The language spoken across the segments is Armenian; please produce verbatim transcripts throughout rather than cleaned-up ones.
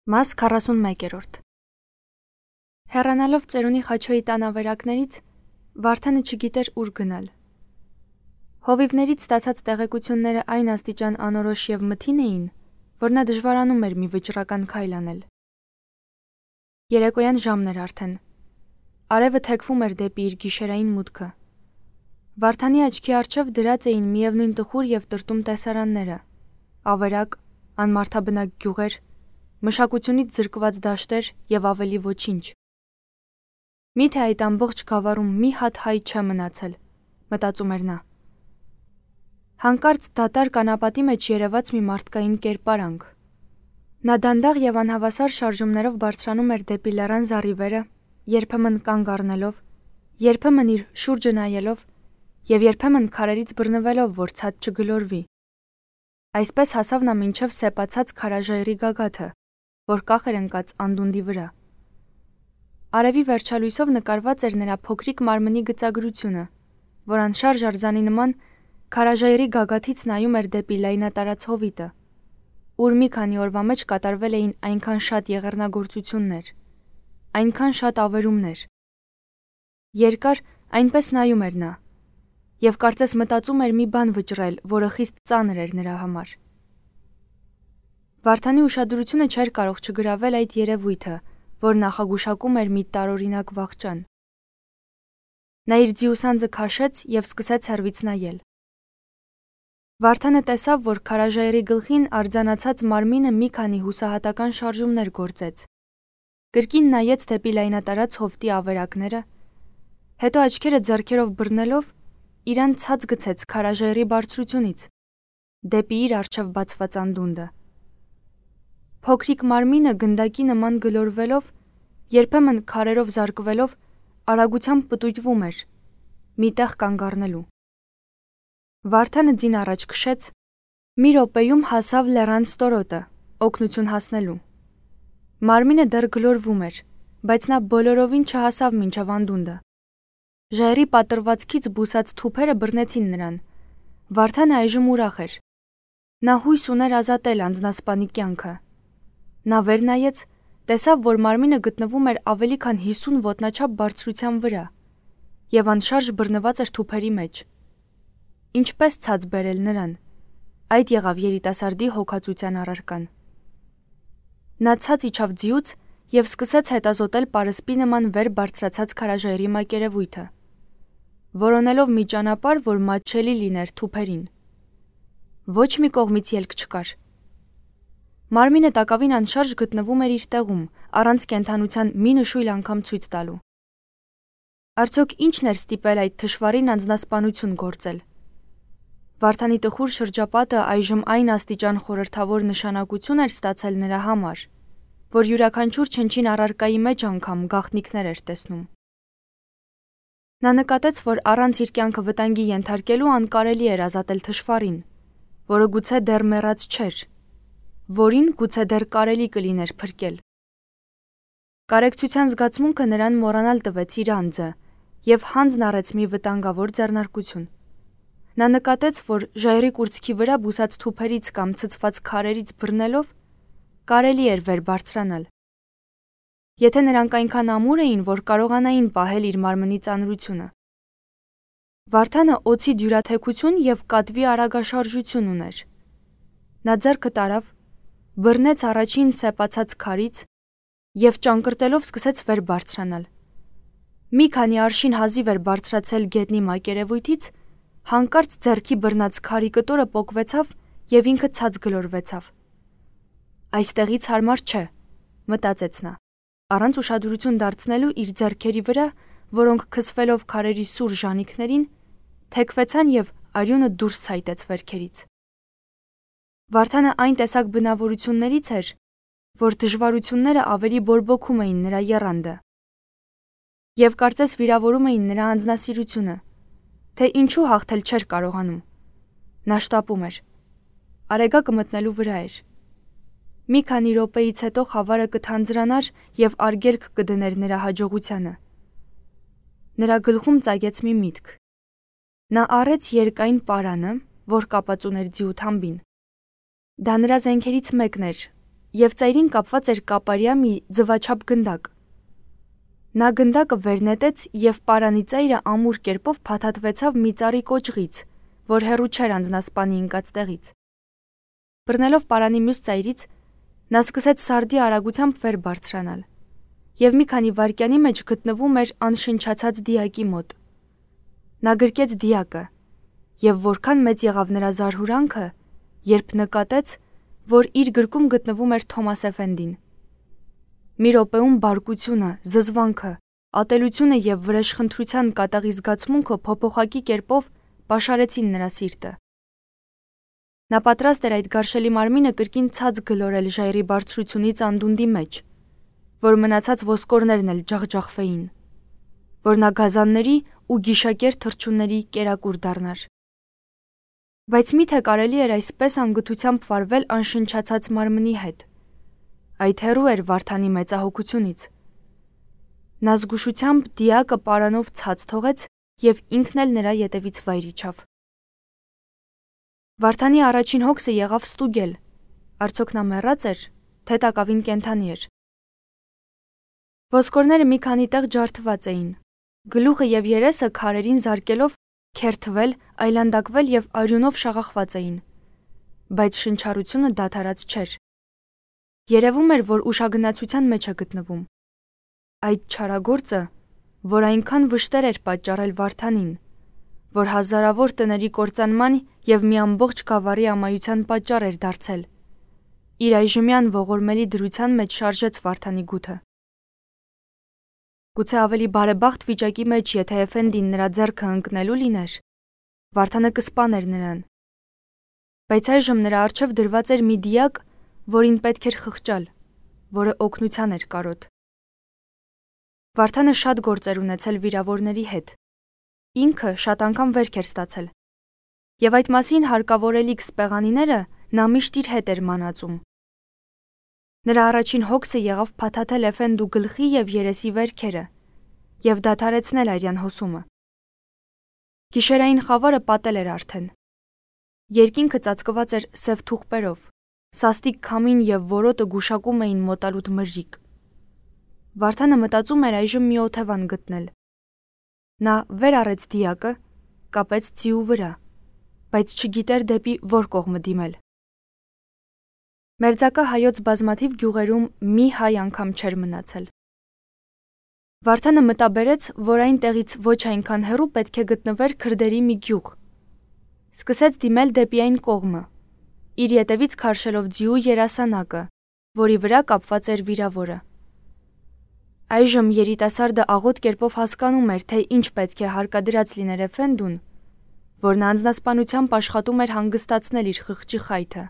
Մաս քառասունմեկերորդ Հեռանալով ծերունի Խաչոյի տանավերակներից, Վարդանը չգիտեր ուր գնալ։ Հովիվներից ստացած տեղեկությունները այն աստիճան անորոշ և մթին էին, որ նա դժվարանում էր մի վճռական քայլ անել։ Երեկոյան ժամն էր արդեն։ Արևը թեքվում էր դեպի իր գիշերային մուտքը։ Վարդանի աչքի առջև դրած էին միևնույն տխուր և տրտում տեսարանները՝ ավերակ, անմարդաբնակ գյուղեր, մշակությունից զրկված դաշտեր և ավելի ոչինչ։ Միթե այդ ամբողջ գավառում մի հատ հայ չէ մնացել, մտածում էր նա։ Հանկարծ դատարկ անապատի մեջ երևաց մի մարդկային կերպարանք։ Նա դանդաղ և անհավասար շարժումներով բարձրանում էր դեպի լեռան զառիվերը, երբեմն կանգ առնելով, երբեմն իր շուրջը նայելով և երբեմն քարերից բռնվելով, որ ցած չգլորվի։ Այսպես հասավ նա մինչև սեպացած քարաժայռի գագաթը, որ կախ էր ընկած անդունդի վրա։ Արևի վերջալույսով նկարված էր նրա փոքրիկ մարմնի գծագրությունը, որ անշարժ արձանի նման քարաժայռի գագաթից նայում էր դեպի լայնատարած հովիտը, ուր մի քանի օրվա մեջ կատարվել էին այնքան շատ եղեռնագործություններ, այնքան շատ ավերումներ։ Երկար այնպես նայում էր նա, և կարծես մտածում էր մի բան վճռել, որը խիստ ծանր էր նրա համար։ Վարդանի ուշադրությունը չէր կարող չգրավել այդ երևույթը, որ նախագուշակում էր մի տարօրինակ վախճան։ Նա իր ձիուսանձը քաշեց և սկսեց հեռվից նայել։ Վարդանը տեսավ, որ քարաժայռի գլխին արձանացած մարմինը մի քանի հուսահատական շարժումներ գործեց, կրկին նայեց դեպի լայնատարած հովտի ավերակները, հետո աչքերը ձեռքերով բռնելով, իրան ցած գցեց քարաժայռի բարձրությունից, դեպի իր առջև բացված անդունդը։ Փոքրիկ մարմինը գնդակի նման գլորվելով, երբեմն քարերով զարկվելով, արագությամբ պտույտվում էր, մի տեղ կանգ առնելու։ Վարդանը ձին առաջ քշեց, մի րոպեում հասավ լեռան ստորոտը, օգնություն հասնելու։ Մարմինը դեռ գլորվում էր, բայց նա բոլորովին չհասավ մինչև անդունդը։ Ժայռի պատռվածքից բուսած թուփերը բռնեցին նրան։ Վարդանը այժմ ուրախ էր։ Նա հույս ուներ ազատել անձնասպանի կյանքը։ Նա վեր նայեց, տեսավ, որ մարմինը գտնվում էր ավելի քան հիսուն ոտնաչափ բարձրության վրա և անշարժ բռնված էր թուփերի մեջ։ Ինչպե՞ս ցած բերել նրան։ Այդ եղավ երիտասարդի հոգածության առարկան։ Նա ցած իջավ ձիուց և սկսեց հետազոտել պարսպի նման վեր բարձրացած քարաժայռի մակերևույթը, որոնելով մի ճանապարհ, որ մատչելի լիներ թուփերին։ Ոչ մի կողմից ելք չկար։ Մարմինը տակավին անշարժ գտնվում էր իր տեղում, առանց կենդանության մի նշույլ անգամ ցույց տալու։ Արդյոք ի՞նչն էր ստիպել այդ թշվառին անձնասպանություն գործել։ Վարդանի տխուր շրջապատը այժմ այն աստիճան խորհրդավոր նշանակություն էր ստացել նրա համար, որ յուրաքանչյուր չնչին առարկայի մեջ անգամ գաղտնիքներ էր տեսնում։ Նա նկատեց, որ առանց իր կյանքը վտանգի ենթարկելու անկարելի էր ազատել թշվառին, որը գուցե դեռ մեռած չէր, որին գուցե դեռ կարելի կլիներ փրկել։ Կարեկցության զգացմունքը նրան մոռանալ տվեց իր անձը և հանձն առեց մի վտանգավոր ձեռնարկություն։ Նա նկատեց, որ ժայռի կուրծքի վրա բուսած թուփերից կամ ցցված քարերից բռնելով կարելի էր վեր բարձրանալ։ Եթե նրանք այնքան ամուր էին, որ կարողանային պահել իր մարմնի ծանրությունը։ Վարդանը օձի դյուրաթեքություն և կատվի արագաշարժություն ուներ։ Նա ձեռքը տարավ, բռնեց առաջին սեպացած քարից և ճանկռտելով սկսեց վեր բարձրանալ։ Մի քանի արշին հազիվ էր բարձրացել գետնի մակերևույթից, հանկարծ ձեռքի բռնած քարի կտորը պոկվեցավ և ինքը ցած գլորվեցավ։ Այստեղից հարմար չէ, մտածեց նա, առանց ուշադրություն դարձնելու իր ձեռքերի վրա, որոնք քսվելով քարերի սուր ժանիքներին, թեքվեցան և արյունը դուրս ցայտեց վերքերից։ Վարդանը այն տեսակ բնավորություններից էր, որ դժվարությունները ավելի բորբոքում էին նրա եռանդը և կարծես վիրավորում էին նրա անձնասիրությունը, թե ինչու հաղթել չէր կարողանում։ Նա շտապում էր։ Արեգակը մտնելու վրա էր։ Մի քանի րոպեից հետո խավարը կթանձրանար և արգելք կդներ նրա հաջողությանը։ Նրա գլխում ծագեց մի միտք։ Նա առեց երկայն պարանը, որ կապած ուներ ձիու թամբին։ Դա նրա զենքերից մեկն էր, եւ ծայրին կապված էր կապարյա մի ձվաչափ գնդակ։ Նա գնդակը վեր նետեց եւ պարանի ծայրը ամուր կերպով փաթաթվեցավ մի ծառի կոճղից, որ հեռու չէր անձնասպանի ընկած տեղից։ Բռնելով պարանի մյուս ծայրից, նա սկսեց սարդի արագությամբ վեր բարձրանալ եւ մի քանի վայրկյանի մեջ գտնվում էր անշնչացած դիակի մոտ։ Նա գրկեց դիակը եւ որքան մեծ եղավ նրա զարհուրանքը, երբ նկատեց, որ իր գրկում գտնվում էր Թոմաս Էֆենդին։ Մի րոպեում բարկությունը, զզվանքը, ատելությունը եւ վրեժխնդրության կատաղի զգացմունքը փոփոխակի կերպով պաշարեցին նրա սիրտը։ Նա պատրաստ էր այդ գարշելի մարմինը կրկին ցած գլորել ժայռի բարձրությունից անդունդի մեջ, որ մնացած ոսկորներն էլ ջախջախվեին, որ նա գազանների ու գիշակեր թռչունների կերակուր դառնար։ Բայց միթե կարելի էր այսպես անգթությամբ վարվել անշնչացած մարմնի հետ։ Այդ հեռու էր Վարդանի մեծահոգությունից։ Նա զգուշությամբ դիակը պարանով ցած թողեց եւ ինքն էլ նրա ետևից վայր իջավ։ Վարդանի առաջին հոգսը եղավ ստուգել, արդյոք նա մեռած էր, թե տակավին կենդանի էր։ Ոսկորները մի քանի տեղ ջարդված էին, գլուխը եւ երեսը քարերին զարկելով քերթվել, այլանդակվել եւ արյունով շաղախված էին, բայց շնչառությունը դադարած չէր։ Երևում էր, որ ուշագնացության մեջ է գտնվում։ Այդ չարագործը, որ այնքան վշտեր էր պատճառել Վարդանին, որ հազարավոր տների կործանման եւ մի ամբողջ գավառի ամայության պատճառ էր դարձել, իր այժմյան ողորմելի դրության մեջ շարժեց Վարդանի գութը։ Գուցե ավելի բարեբախտ վիճակի մեջ, եթե Էֆենդին նրա ձեռքը ընկնելու լիներ, Վարդանը կսպաներ նրան։ Բայց այժմ նրա առջև դրված էր մի դիակ, որին պետք էր խղճալ, որը օգնության էր կարոտ։ Վարդանը շատ գործեր ունեցել վիրավորների հետ։ Ինքը շատ անգամ վերք էր ստացել։ Եվ այդ մասին հարկավորելիք սպեղանիները նա միշտ իր հետ էր մանածում։ Նրա առաջին հոգսը եղավ փաթաթել Էֆենդու գլխի եւ երեսի վերքերը եւ դադարեցնել արյան հոսումը։ Գիշերային խավարը պատել էր արդեն։ Երկինքը ծածկված էր սև թուղպերով, սաստիկ քամին եւ որոտը գուշակում էին մոտալուտ մրրիկ։ Վարդանը մտածում էր այժմ մի օթևան գտնել։ Նա վեր առեց դիակը, կապեց ձիու վրա, բայց չգիտեր դեպի որ կողմը դիմել։ Մերձակա հայոց բազմաթիվ գյուղերում մի հայ անգամ չէր մնացել։ Վարդանը մտաբերեց, որ այն տեղից ոչ այնքան հեռու պետք է գտնվեր քրդերի մի գյուղ։ Սկսեց դիմել դեպի այն կողմը, իր ետևից քարշելով ձիու երասանակը, որի վրա կապված էր վիրավորը։ Այժմ երիտասարդը աղոտ կերպով հասկանում էր, թե ինչ պետք է հարկադրած լիներ Էֆենդուն, որ նա անձնասպանությամբ աշխատում էր հանգստացնել իր խղճի խայթը։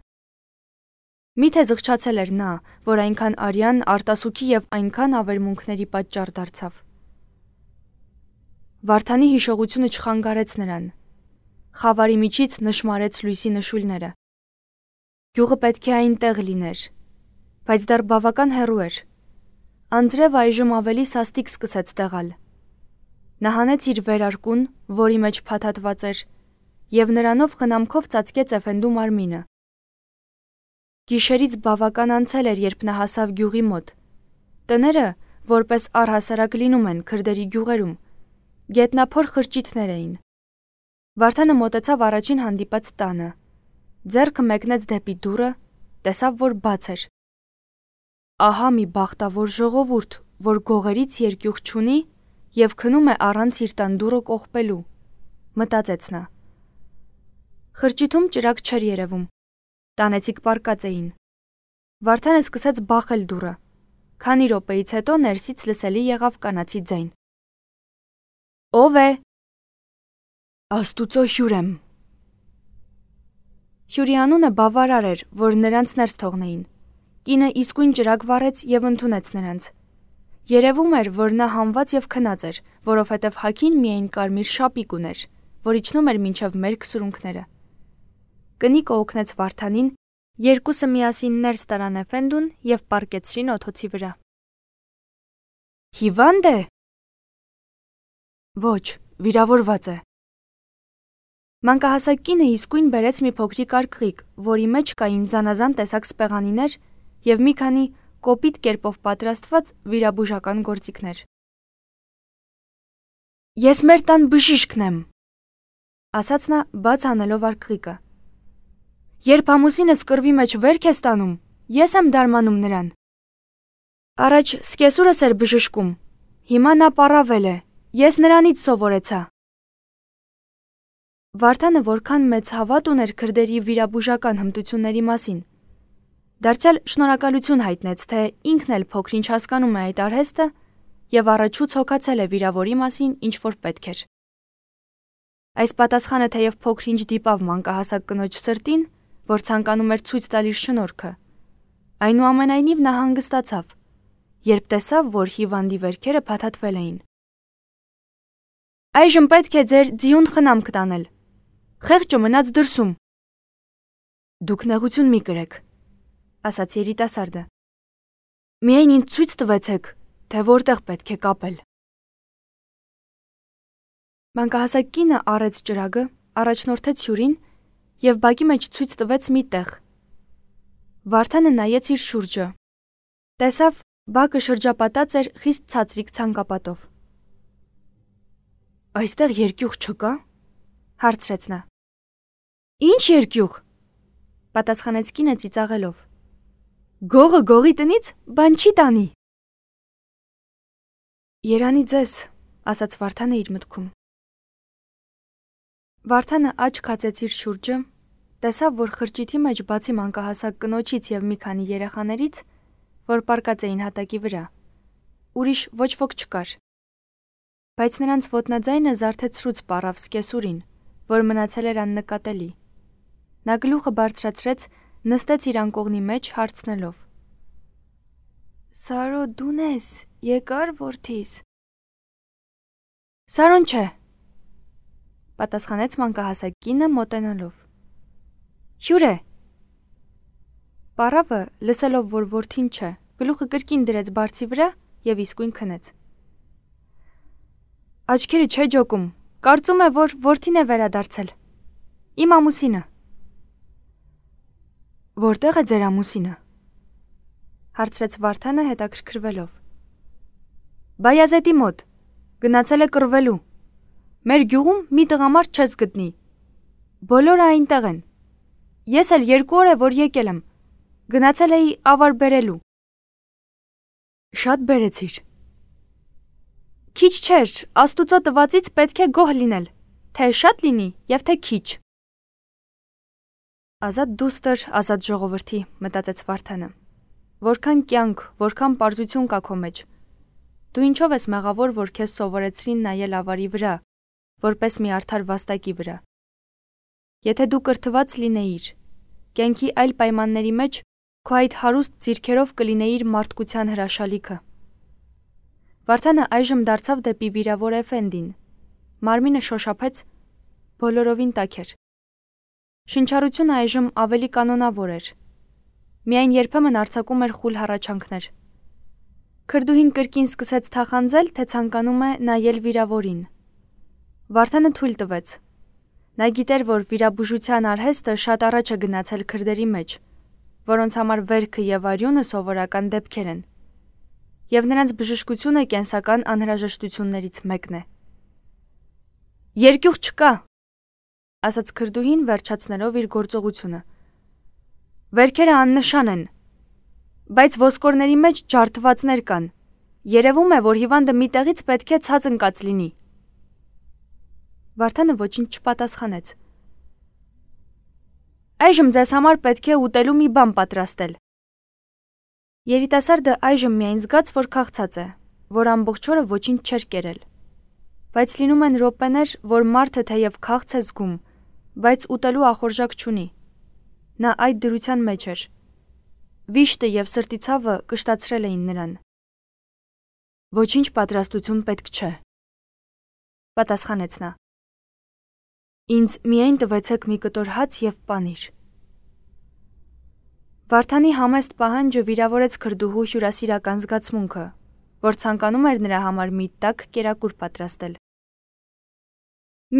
Միթե զղջացել էր նա, որ այնքան արյան, արտասուքի եւ այնքան ավերմունքների պատճառ դարձավ։ Վարդանի հիշողությունը չխանգարեց նրան։ Խավարի միջից նշմարեց լույսի նշույլները։ Գյուղը պետք է այնտեղ լիներ, բայց դեռ բավական հեռու էր։ Անձրևը այժմ ավելի սաստիկ սկսեց տեղալ։ Նա հանեց իր վերարկուն, որի մեջ փաթաթված էր, եւ նրանով խնամքով ծածկեց Էֆենդու մարմինը։ Գիշերից բավական անցել էր, երբ նա հասավ գյուղի մոտ։ Տները, որպես առհասարակ լինում են քրդերի գյուղերում, գետնափոր խրճիթներ էին։ Վարդանը մոտեցավ առաջին հանդիպած տանը։ Ձեռքը մեկնեց դեպի դուռը, տեսավ, որ բաց էր։ Ահա մի բախտավոր ժողովուրդ, որ գողերից երկյուղ չունի եւ քնում է առանց իր տան դուռը կողպելու, մտածեց նա։ Խրճիթում ճրագ չէր երևում։ Տանեցիք պառկած էին։ Վարդանը սկսեց բախել դուռը։ Քանի րոպեից հետո ներսից լսելի եղավ կանացի ձայն։ Ո՞վ է։ Աստուծո հյուր եմ։ Հյուրի անունը բավարար էր, որ նրանց ներս թողնեին։ Կինը իսկույն ճրագ վառեց եւ ընդունեց նրանց։ Երևում էր, որ նա համված եւ քնած էր, որովհետեւ հագին միայն կարմիր շապիկ ուներ, որ իջնում էր մինչեւ մերկ սրունքները։ Կնիկը օգնեց Վարդանին, երկուսը միասին ներս տարան Էֆենդուն եւ պառկեցրին օթոցի վրա։ Հիվանդ է։ Ոչ, վիրավորված է։ Մանկահասակ կինը իսկույն բերեց մի փոքրիկ արկղիկ, որի մեջ կային զանազան տեսակ սպեղանիներ և մի քանի կոպիտ կերպով պատրաստված վիրաբուժական գործիքներ։ Ես մեր տան բժիշկն եմ, ասաց նա բաց անելով արկղիկը։ Երբ ամուսինս կռվի մեջ վերք է ստանում, ես եմ դարմանում նրան։ Առաջ սկեսուրս էր բժշկում, հիմա նա պառավել է, ես նրանից սովորեցա։ Վարդանը որքան մեծ հավատ ուներ քրդերի վիրաբուժական հմտությունների մասին, դարձյալ շնորհակալություն հայտնեց, թե ինքն էլ փոքր-ինչ հասկանում է այդ արհեստը և առաջուց հոգացել է վիրավորի մասին ինչ-որ պետք էր։ Այս պատասխանը թեև փոքր-ինչ դիպավ մանկահասակ կնոջ սրտին, որ ցանկանում էր ցույց տալ իր շնորհքը, այնուամենայնիվ նա հանգստացավ, երբ տեսավ, որ հիվանդի վերքերը փաթաթվել էին։ Այժմ պետք է ձեր ձիուն խնամք տանել։ Խեղճը մնաց դրսում։ Դուք նեղություն մի կրեք, ասաց երիտասարդը։ Միայն ինձ ցույց տվեցեք, թե որտեղ պետք է կապել։ Մանկահասակ կինը առեց ճրագը, առաջնորդեց հյուրին և բակի մեջ ցույց տվեց մի տեղ։ Վարդանը նայեց իր շուրջը։ Տեսավ, բակը շրջապատած էր խիստ ցածրիկ ցանկապատով։ Այստեղ երկյուղ չկա՞, հարցրեց նա։ Ինչ երկյուղ, պատասխանեց կինը ծիծաղելով։ Գողը գողի տնից բան չի տանի։ Երանի ձեզ, ասաց Վարդանը իր մտքում։ Վարդանը աչք հացեց իր շուրջը, տեսավ, որ խրճիթի մեջ բացի մանկահասակ կնոջից և մի քանի երեխաներից, որ պառկած էին հատակի վրա, ուրիշ ոչ ոք չկար։ Բայց նրանց ոտնաձայնը զարթեցրուց պառավ սկեսուրին, որ մնացել էր աննկատելի։ Նա գլուխը բարձրացրեց, նստեց իր անկողնի մեջ, հարցնելով. Սարո դու՞ն ես, եկար որդիս։ Սարոն չէ, պատասխանեց մանկահասակ կինը մոտենալով։ Հյուր է։ Պառավը, լսելով, որ որդին չէ, գլուխը կրկին դրեց բարձի վրա և իսկույն քնեց։ Աչքերը չէ ջոկում, կարծում է, որ որդին է վերադարձել։ Իմ ամուսինը։ Որտեղ է ձեր ամուսինը, հարցրեց Վարդանը հետաքրքրվելով։ Բայազետի մոտ, գնացել է կռվելու։ Մեր գյուղում մի տղամարդ չես գտնի։ Բոլորը այնտեղ են։ Ես էլ երկու օր է, որ եկել եմ։ Գնացել էի ավար բերելու։ Շատ բերեցիր։ Քիչ չէր, Աստուծո տվածից պետք է գոհ լինել, թե շատ լինի և թե քիչ։ Ազատ դուստր, ազատ ժողովրդի, մտածեց Վարդանը։ Որքան կյանք, որքան պարզություն կա քո մեջ։ Դու ինչով ես մեղավոր, որ քեզ սովորեցրին նայել ավարի վրա, որպես մի արդար վաստակի վրա։ Եթե դու կրթված լինեիր, կյանքի այլ պայմանների մեջ քո այդ հարուստ ձիրքերով կլինեիր մարդկության հրաշալիքը։ Վարդանը այժմ դարձավ դեպի վիրավոր Էֆենդին։ Մարմինը շոշափեց, բոլորովին տաք էր։ Շնչառությունը այժմ ավելի կանոնավոր էր։ Միայն երբեմն արձակում էր խուլ հառաչանքներ։ Քրդուհին կրկին սկսեց թախանձել, թե ցանկանում է նայել վիրավորին։ Վարդանը թույլ տվեց։ Նա գիտեր, որ վիրաբուժության արհեստը շատ առաջ է գնացել քրդերի մեջ, որոնց համար վերքը և արյունը սովորական դեպքեր են, և նրանց բժշկությունը կենսական անհրաժեշտություններից մեկն է։ Երկյուղ չկա, ասաց քրդուհին, վերջացնելով իր գործողությունը։ Վերքերը աննշան են, բայց ոսկորների մեջ ջարդվածներ կան։ Երևում է, որ հիվանդը մի տեղից պետք է ցած ընկած լինի։ Վարդանը ոչինչ չպատասխանեց։ Այժմ ձեզ համար պետք է ուտելու մի բան պատրաստել։ Երիտասարդը այժմ միայն զգաց, որ քաղցած է, որ ամբողջ օրը ոչինչ չէր կերել։ Բայց լինում են րոպեներ, որ մարդը թեև քաղց է զգում, բայց ուտելու ախորժակ չունի։ Նա այդ դրության մեջ էր։ Վիշտը և սրտի ցավը կշտացրել էին նրան։ Ոչինչ պատրաստություն պետք չէ, պատասխանեց նա։ Ինձ միայն տվեցեք մի կտոր հաց և պանիր։ Վարդանի համեստ պահանջը վիրավորեց քրդուհու հյուրասիրական զգացմունքը, որ ցանկանում էր նրա համար մի տաք կերակուր պատրաստել։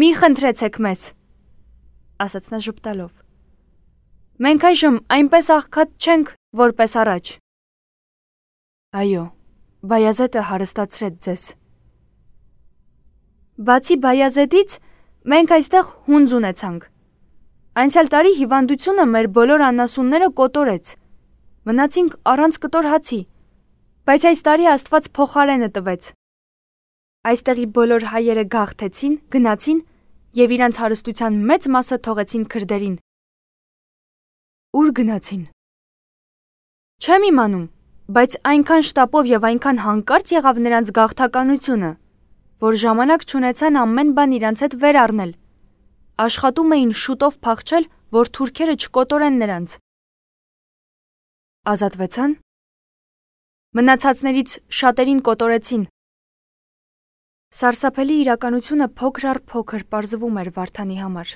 Մի խնդրեցեք մեզ, ասաց նա ժպտալով։ Մենք այժմ այնպես աղքատ չենք, որպես առաջ։ Այո, Բայազետը հարստացրեց ձեզ։ Բացի Բայազետից, մենք այստեղ հունձ ունեցանք։ Անցյալ տարի հիվանդությունը մեր բոլոր անասունները կոտորեց։ Մնացինք առանց կտոր հացի, բայց այս տարի Աստված փոխարենը տվեց։ Այստեղի բոլոր հայերը գաղթեցին, գնացին եւ իրանց հարստության մեծ մասը թողեցին քրդերին։ Ուր գնացին։ Չեմ իմանում, բայց այնքան շտապով եւ այնքան հանկարծ եղավ նրանց գաղթականությունը, որ ժամանակ չունեցան ամեն բան իրանց հետ վեր առնել։ Աշխատում էին շուտով փախչել, որ թուրքերը չկոտորեն նրանց։ Ազատվեցան։ Մնացածներից շատերին կոտորեցին։ Սարսափելի իրականությունը փոքր առ փոքր պարզվում էր Վարդանի համար։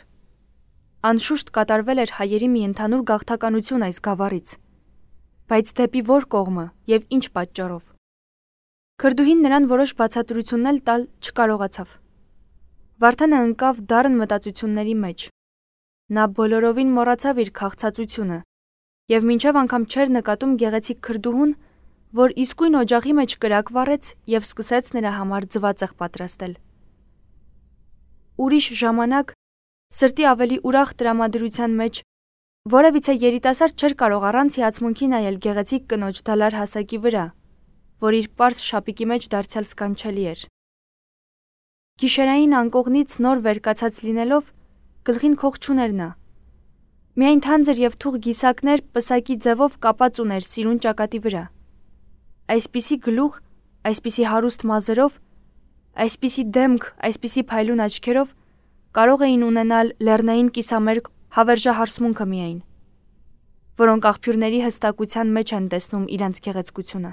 Անշուշտ կատարվել էր հայերի մի ընդհանուր գաղթականություն այս գավառից, բայց դեպի որ կողմը եւ ինչ պատճառով։ Քրդուհին նրան որոշ բացատրություններ տալ չկարողացավ։ Վարդանը ընկավ դառն մտածությունների մեջ։ Նա բոլորովին մոռացավ իր քաղցածությունը եւ մինչեւ անգամ չէր նկատում գեղեցիկ քրդուհուն, որ իսկույն օջախի մեջ կրակ վառեց եւ սկսեց նրա համար ձվածեղ պատրաստել։ Ուրիշ ժամանակ, սրտի ավելի ուրախ տրամադրության մեջ, որևիցե երիտասարդ չէր կարող առանց հիացմունքի նայել գեղեցիկ կնոջ դալար հասակի վրա, որ իր պարզ շապիկի մեջ դարձյալ սքանչելի էր։ Գիշերային անկողնից նոր վերկացած լինելով, գլխին քող չուներ նա։ Միայն թանձր եւ թուղ գիսակներ պսակի ձևով կապած ուներ սիրուն ճակատի վրա։ Այսպիսի գլուխ, այսպիսի հարուստ մազերով, այսպիսի դեմք, այսպիսի փայլուն աչքերով կարող էին ունենալ լեռնային կիսամերկ հավերժահարսմունքը միայն, որոնք աղբյուրների հստակության մեջ են տեսնում իրանց գեղեցկությունը։